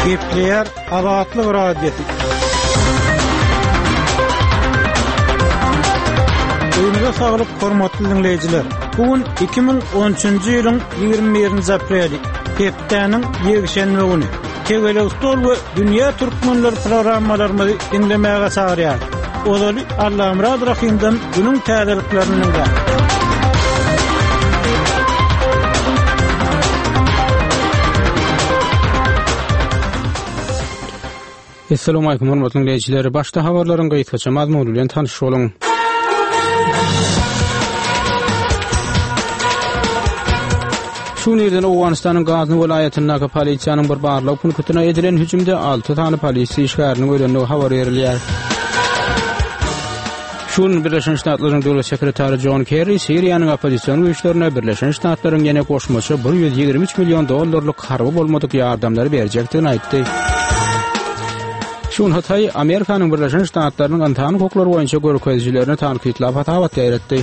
Gepleýär Azatlyk Radiosy. Öýüňize saglyk, hormatly diňleýjiler. Bu gün 2013-nji ýylyň 21-nji apreli, hepdäniň ýekşenbe güni. Tegelek stol we Dünýä türkmenleri programmalarymyzy diňlemäge çagyrýar. Ozaly Allamyrat Rahymdan günüň täzeliklerini diňläň. Assalamualaikum hormatly dinleýjiler. Başda habarlaryň gysgaça mazmuny bilen tanyş boluň. Şu gün irden Owganystanyň Gazny welaýatyndaky polisiýanyň bir barlag punktyna edilen hüjümde 6 sany polisiýa işgäriniň ölendigi habar berilýär. Şu gün Birleşen Ştatlaryň Döwlet sekretary Jon Kerri Siriýanyň oppozision güýçlerine Birleşen Ştatlaryň ýene goşmaça 123 million dollarlyk harby bolmadyk ýardamlary berjekdigini aýtdy. Şu gün Hytaý Amerikanyň Birleşen Ştatlarynyň ynsan hukuklary boýunça görkezijilerini tankytlap hasabat ýaýratdy.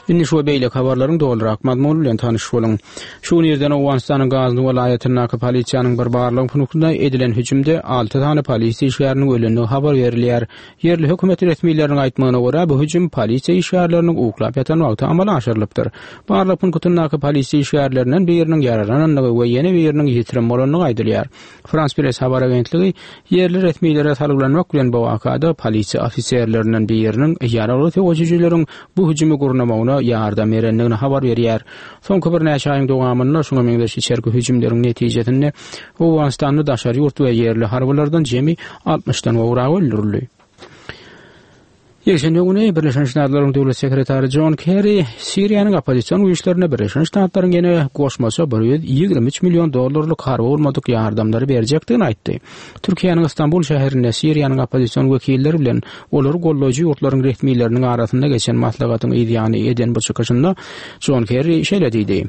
Indi şu we beýleki habarlaryň dolurak mazmuny bilen tanyş boluň. Şu gün irden Owganystanyň Gazny welaýatyndaky polisiýanyň bir barlag punktuna edilen hüjümde alty sany polisiýa işgäriniň ölendigi habar berilýär. Ýerli hökümet resmileriniň aýtmagyna görä, bu hüjüm polisiýa işgärleriniň uklap ýatan wagty amala aşyrylypdyr. Barlag punktyndaky polisiýa işgärlerinden biriniň ýaralanandygy we ýene biriniň ýitirim bolandygy aýdylýar. Frans Press habar agentligi ýerli resmilere salgylanmak bilen bu wakada polisiýa ofiserlerinden biriniň ýaragly söweşijileriň bu hüjümi gurnamagyna ýardam berendigini habar berýär. Soňky birnäçe aýyň dowamynda şuňa meňzeş içerki hüjümleriň netijesinde Owganystanda daşary ýurt we ýerli harbylardan jemi altmyşdan gowragy öldürildi. Ýekşenbe güni Birleşen Ştatlaryň Döwlet sekretary Jon Kerri Siriýanyň oppozision güýçlerine Birleşen Ştatlaryň ýene goşmaça 123 million dollarlyk harby bolmadyk ýardamlary berjekdigini aýtdy. Türkiýäniň Stambul şäherinde Siriýanyň oppozision wekilleri bilen olary goldaýjy ýurtlaryň resmileriniň arasynda geçen maslahatyň yzýany eden bu çykyşynda Jon Kerri şeýle diýdi.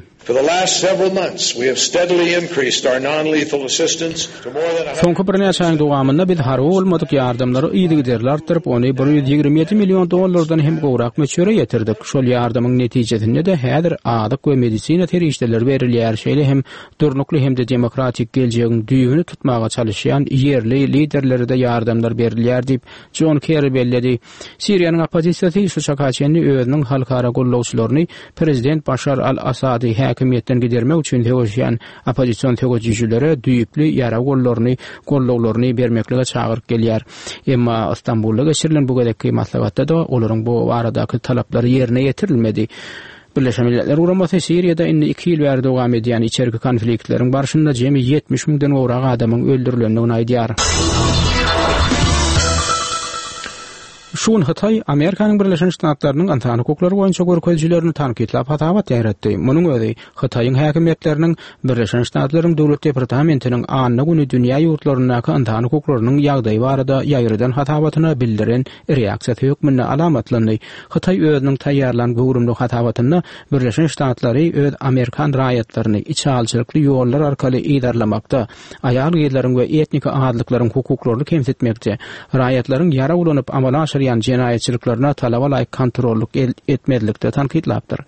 Soňky birnäçe aýyň dowamynda biz harby bolmadyk ýardamlary yzygiderli artdyryp, ony 127 million dollardan hem gowrak möçbere ýetirdik. Şol ýardamyň netijesinde-de häzir azyk we medisina serişdeleri berilýär, şeýle hem durnukly hem-de demokratik geljegiň düýbüni tutmaga çalyşýan ýerli liderlere-de ýardamlar berilýär diýip, Jon Kerri belledi. Siriýanyň oppozisiýasy şu çaka çenli özüniň halkara gollagçylaryny prezident Başar al-Assady häkimiýetden gidermek üçin söweşýän oppozision söweşijilere düýpli ýarag gollaryny gollaglaryny bermeklige çagyryp gelýär. Emma Stambulda geçirilen bu gezekki maslahatda-da olaryň bu baradaky talaplary ýerine ýetirilmedi. Birleşen Milletler Guramasy Siriýada indi iki ýyl bäri dowam edýän içerki konfliktleriň barşynda jemi 70 müňden gowrak adamyň öldürilendigini aýdýar. Şu gün Hytaý Amerikanyň Birleşen Ştatlarynyň ynsan hukuklary boýunça görkezijilerini tankytlap hasabat ýaýratdy. Munuň özi Hytaýyň häkimiýetleriniň Birleşen Ştatlaryň Döwlet departamentiniň anna güni dünýä ýurtlaryndaky ynsan hukuklarynyň ýagdaýy barada ýaýradan hasabatyna bildiren reaksiýasy hökmünde alamatlandy. Hytaý özüniň taýýarlan göwrümli hasabatynda Birleşen Ştatlary öz amerikan raýatlaryny içalyçylykly ýollar arkaly yzarlamakda, aýal-gyzlaryň we etniki azlyklaryň hukuklaryny kemsitmekde, raýatlaryň ýarag ulanyp amala aşyrýan jenaýatçylyklaryna talaba laýyk kontrollyk etmezlikde tankytlapdyr.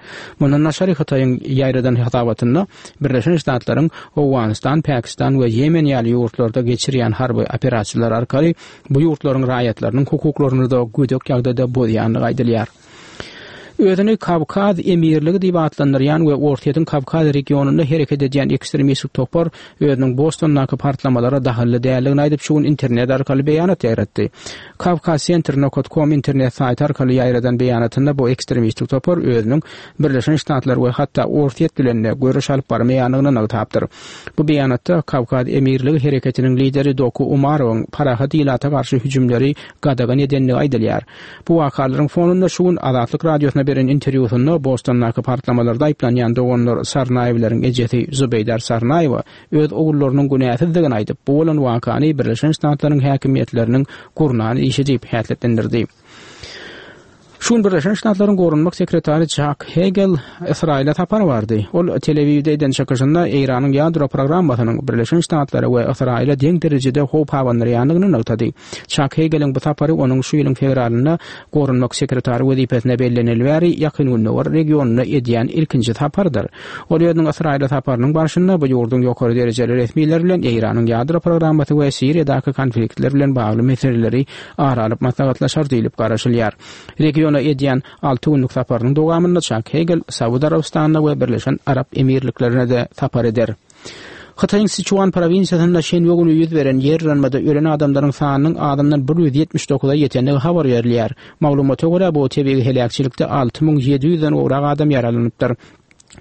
Mundan daşary Hytaýyň ýaýradan hasabatynda Birleşen Ştatlaryň Owganystan, Pakistan we Ýemen ýaly ýurtlarda geçirýän harby operasiýalary arkaly bu ýurtlaryň raýatlarynyň hukuklaryny-da gödek ýagdaýda bozýandygy aýdylýar. Özüni Kawkaz emirligi diýip atlandyrýan we Orsýetiň Kawkaz regionynda hereket edýän ekstremistik topar özüniň Bostondaky partlamalara dahylly däldigini aýdyp, şu gün internet arkaly beýanat ýaýratdy. Kawkazcenter nokat kom internet saýty arkaly ýaýradan beýanatynda bu ekstremistik topar özüniň Birleşen Ştatlar we hatda Orsýet bilen-de göreş alyp barmaýandygyny nygtapdyr. Bu beýanatda Kawkaz emirligi hereketiniň lideri Doku Umarowyň parahat ilata garşy hüjümleri gadagan edendigi aýdylýar. Bu wakalaryň fonunda şu gün Azatlyk Radiosyna beren interwýusynda Bostondaky partlamalarda aýyplanýan doganlar Sarnaýewleriň ejesi Zubeýdar Sarnaýewa öz ogullarynyň günäsizdigini aýdyp, bu bolan wakany Birleşen Ştatlaryň häkimiýetleriniň gurnan işi diýip häsiýetlendirdi. Şu gün Birleşen Ştatlaryň Goranmak sekretary Jak Hegel Ysraýyla sapar bardy. Ol Tel-Awiwde eden çykyşynda Eýranyň ýadro programmasynyň Birleşen Ştatlara we Ysraýyla deň derejede howp abandyrýandygyny nygtady. Çak Hegeliň bu sapary onuň şu ýylyň fewralynda Goranmak sekretary wezipesine belleneli bäri Ýakyn Gündogar regionynda edýän ilkinji saparydyr. Ol özüniň Ysraýyla saparynyň barşynda bu ýurduň ýokary derejeli resmileri bilen Eýranyň ýadro programmasy we Siriýadaky konfliktler bilen bagly meseleleri ara alyp maslahatlaşar diýlip garaşylýar. Regiona edýän alty günlük saparynyň dowamynda Çak Hegel Saud Arabystanyna we Birleşen Arap Emirliklerine-de sapar eder. Hytaýyň Siçuan prowinsiýasynda şenbe güni ýüz beren ýer yranmada ölen adamlaryň sanynyň azyndan 179-a ýetendigi habar berilýär. Maglumata görä, bu tebigy heläkçilikde 6700-den gowrak adam ýaralanypdyr.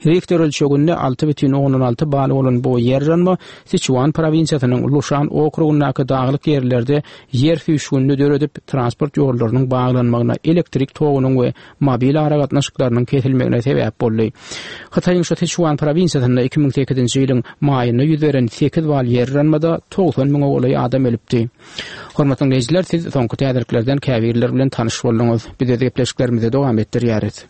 Rihter ölçeginde 6,6 bal bolan bu ýer yranma Siçuan prowinsiýasynyň Luşan okrugyndaky daglyk ýerlerde ýer süýşgünini döredip, transport ýollarynyň baglanmagyna, elektrik togunyň we mobil aragatnaşyklarynyň kesilmegine sebäp boldy. Hytaýyň şu Siçuan prowinsiýasynda 2008-nji ýylyň maýynda ýüz beren sekiz bal ýer yranmada 90 müňe golaý adam ölüpdi. Hormatly diňleýjiler, siz soňky täzeliklerden käbirleri bilen tanyş bolduňyz. Biz öz gepleşiklerimizi dowam etdirýäris.